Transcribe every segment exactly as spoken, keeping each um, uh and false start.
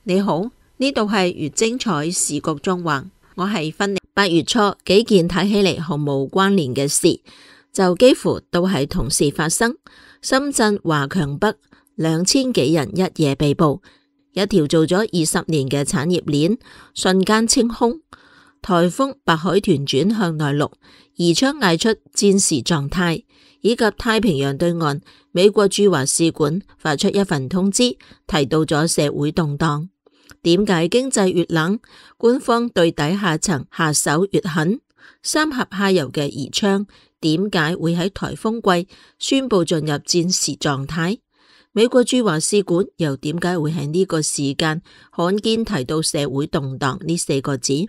你好，呢度係越精彩時局中環，我係芬妮。八月初幾件睇起嚟毫無關聯嘅事，就幾乎都係同時發生。深圳華強北兩千幾人一夜被捕，一條做咗二十年嘅產業鏈瞬間清空。颱風白海豚轉向內陸，宜昌嗌出戰時狀態，以及太平洋對岸美國駐華使館發出一份通知，提到咗社會動盪。點解經濟越冷，官方對底下層下手越狠？三峽下游嘅宜昌點解會喺颱風季宣布進入戰時狀態？美國駐華使館又點解會喺呢個時間罕見提到社會動盪呢四個字？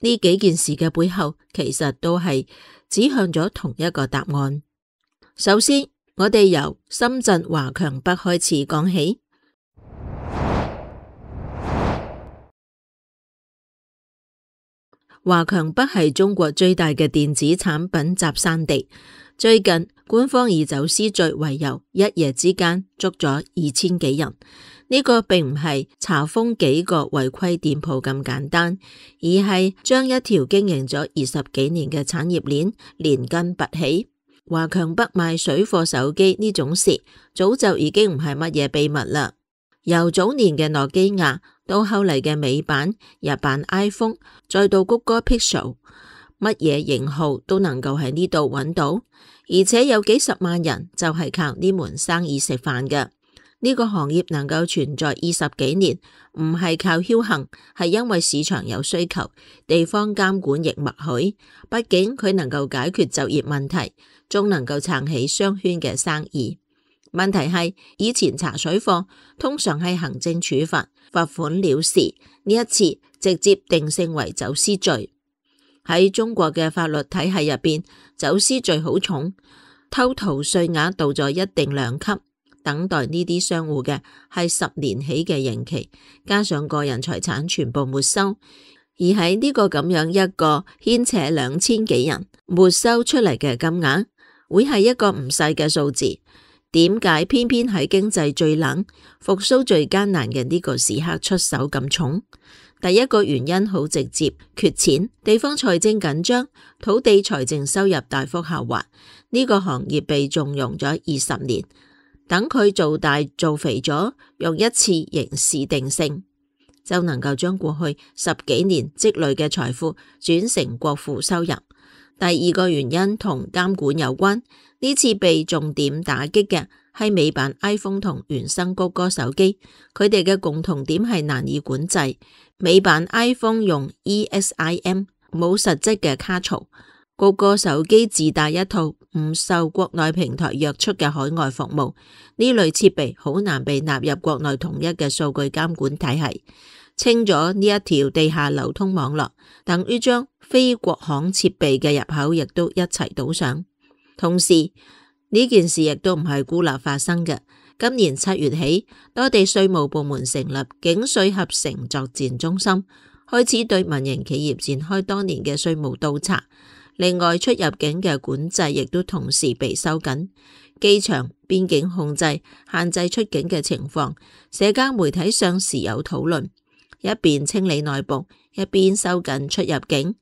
呢幾件事嘅背後，其實都係指向咗同一個答案。首先，我哋由深圳華強北開始講起。華強北係中國最大嘅電子產品集散地。最近官方以走私罪為由，一夜之間捉咗二千幾人。呢個並唔係查封幾個違規店鋪咁簡單，而係將一條經營咗二十幾年嘅產業鏈連根拔起。華強北賣水貨手機呢種事，早就已經唔係乜嘢秘密啦。由早年嘅諾基亞，到後嚟嘅美版、日版 iPhone， 再到谷歌 Pixel， 乜嘢型號都能夠喺呢度揾到，而且有幾十萬人就係靠呢門生意食飯嘅。呢個行業能夠存在二十幾年，唔係靠僥倖，係因為市場有需求，地方監管亦默許。畢竟佢能夠解決就業問題，仲能夠撐起商圈嘅生意。問題係以前查水貨通常係行政處罰，罰款了事，呢一次直接定性為走私罪。喺中國嘅法律體系入邊，走私罪好重，偷逃稅額到咗一定量級，等待呢啲商戶嘅係十年起嘅刑期，加上個人財產全部沒收。而喺呢個咁樣一個牽扯兩千幾人沒收出嚟嘅金額，會係一個唔細嘅數字。點解偏偏喺經濟最冷、復甦最艱難嘅呢個時刻出手咁重？第一個原因好直接，缺錢，地方財政緊張，土地財政收入大幅下滑。呢個行業被縱容咗二十年，等佢做大做肥咗，用一次刑事定性，就能夠將過去十幾年積累嘅財富轉成國庫收入。第二個原因同監管有關，呢次被重點打擊嘅係美版 iPhone 同原生谷歌手機，佢哋嘅共同點係難以管制。美版 iPhone 用 E S I M 冇實質嘅卡槽，谷歌手機自帶一套唔受國內平台約束嘅海外服務，呢類設備好難被納入國內統一嘅數據監管體系。清咗呢一條地下流通網絡，等於將非國行設備嘅入口亦都一齊堵上。同時呢件事亦都唔係孤立發生嘅。今年七月起，多地稅務部門成立警稅合成作戰中心，開始對民營企業展開多年嘅稅務督查。另外，出入境嘅管制亦都同時被收緊，機場、邊境控制、限制出境嘅情況，社交媒體上時有討論。一邊清理內部，一邊收緊出入境，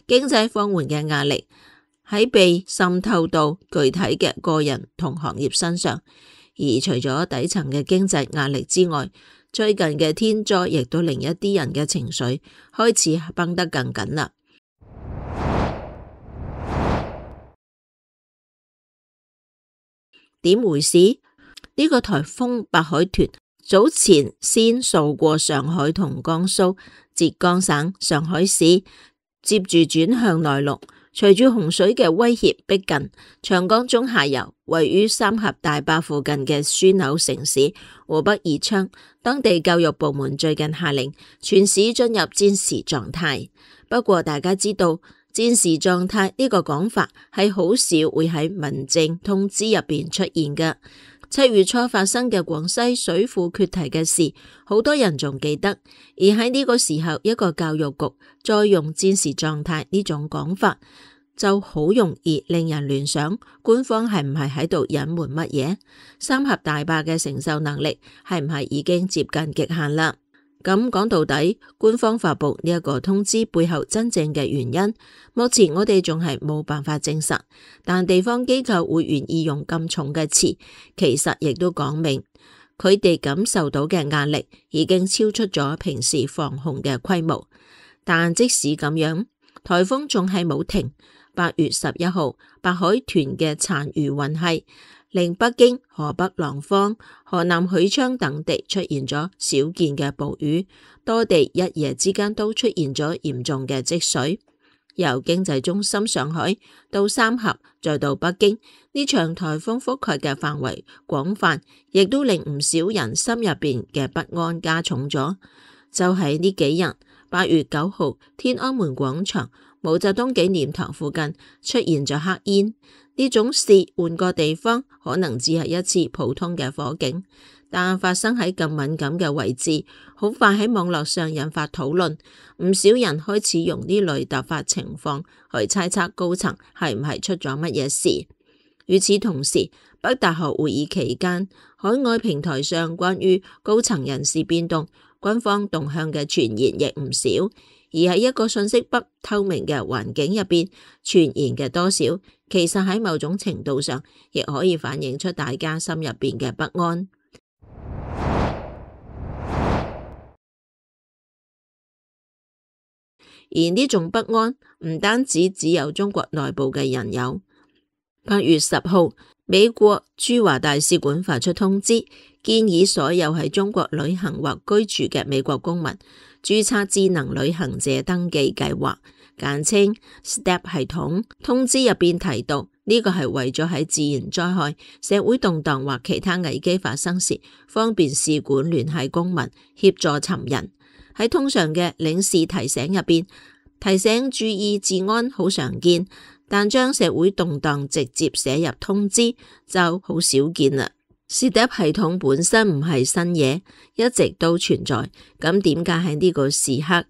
經濟放緩嘅壓力喺被滲透到具體嘅個人同行業身上。而除咗底層嘅經濟壓力之外，最近嘅天災亦都令一啲人嘅情緒開始繃得更緊啦。點回事？呢、這個颱風白海豚早前先掃過上海同江蘇、浙江省、上海市，接住轉向內陸。隨住洪水嘅威脅逼近，長江中下游位於三峽大壩附近嘅樞紐城市湖北宜昌，當地教育部門最近下令全市進入戰時狀態。不過大家知道，戰時狀態呢個講法係好少會喺民政通知入邊出現嘅。七月初發生嘅廣西水庫決堤嘅事，好多人仲記得。而喺呢個時候，一個教育局再用戰時狀態呢種講法，就好容易令人聯想，官方係唔係喺度隱瞞乜嘢？三峽大壩嘅承受能力係唔係已經接近極限啦？咁講到底，官方發佈呢一個通知背後真正嘅原因，目前我哋仲係冇辦法證實。但地方機構會願意用咁重嘅詞，其實亦都講明佢哋感受到嘅壓力已經超出咗平時防控嘅規模。但即使咁樣，颱風仲係冇停。八月十一號，白海豚嘅殘餘雲系令北京、河北廊坊、河南許昌等地出現咗少見嘅暴雨，多地一夜之間都出現咗嚴重嘅積水。由經濟中心上海到三峽再到北京，呢場颱風覆蓋嘅範圍廣泛，亦都令唔少人心入邊嘅不安加重咗。就喺呢幾日，八月九號，天安門廣場、毛澤東紀念堂附近出現咗黑煙。呢種事換個地方可能只係一次普通嘅火警，但發生喺咁敏感嘅位置，好快喺網絡上引發討論。唔少人開始用呢類突發情況去猜測高層係唔係出咗乜嘢事。與此同時，北大學會議期間，海外平台上關於高層人事變動、軍方動向嘅傳言亦唔少。而喺一個信息不透明嘅環境入邊，傳言嘅多少，其實喺某種程度上，亦可以反映出大家心入邊嘅不安。而呢種不安唔單止只有中國內部嘅人有。八月十號，美國駐華大使館發出通知，建議所有喺中國旅行或居住嘅美國公民註冊智能旅行者登記計劃，簡稱 S T E P 系統。通知入邊提到，呢個係為咗喺自然災害、社會動盪或其他危機發生時，方便使館聯繫公民，協助尋人。喺通常嘅領事提醒入邊，提醒注意治安好常見，但將社會動盪直接寫入通知就好少見啦。S T E P 系統本身唔係新嘢，一直都存在，咁點解喺呢個時刻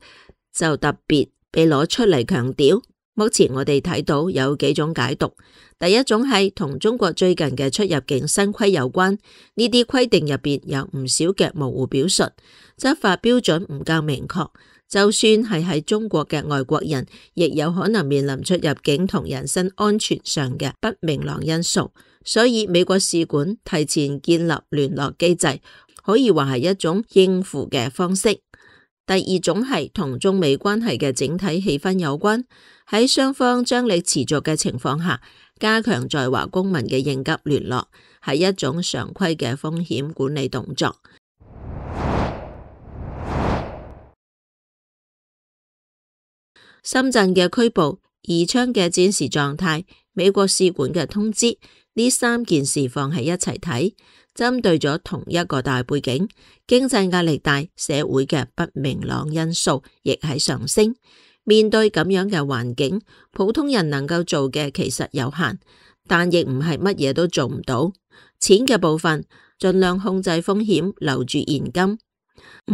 就特別被攞出嚟強調？目前我哋睇到有幾種解讀，第一種係同中國最近嘅出入境新規有關，呢啲規定入邊有唔少嘅模糊表述，執法標準唔夠明確，就算係喺中國嘅外國人，亦有可能面臨出入境同人身安全上嘅不明朗因素，所以美國使館提前建立聯絡機制，可以話係一種應付嘅方式。第二種係同中美關係嘅整體氣氛有關，喺雙方張力持續嘅情況下，加強在華公民嘅應急聯絡，係一種常規嘅風險管理動作。深圳嘅拘捕、宜昌嘅戰時狀態、美國使館嘅通知，呢三件事放喺一齊睇，針對咗同一個大背景，經濟壓力大，社會嘅不明朗因素亦喺上升。面對咁樣嘅環境，普通人能夠做嘅其實有限，但亦唔係乜嘢都做唔到。錢嘅部分，盡量控制風險，留住現金，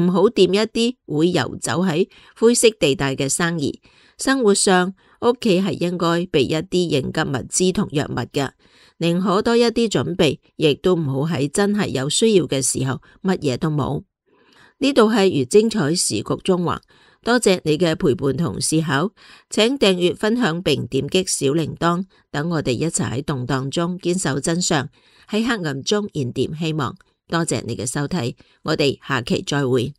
唔好掂一啲會游走喺灰色地帶嘅生意。生活上，屋企係應該備一啲應急物資同藥物嘅，寧可多一啲準備，亦都唔好喺真係有需要嘅時候乜嘢都冇。呢度係如精彩時局中華，多謝你嘅陪伴同思考，請訂閱分享並點擊小鈴鐺，等我哋一齊喺動盪中堅守真相，喺黑暗中燃點希望。多謝你嘅收睇，我哋下期再會。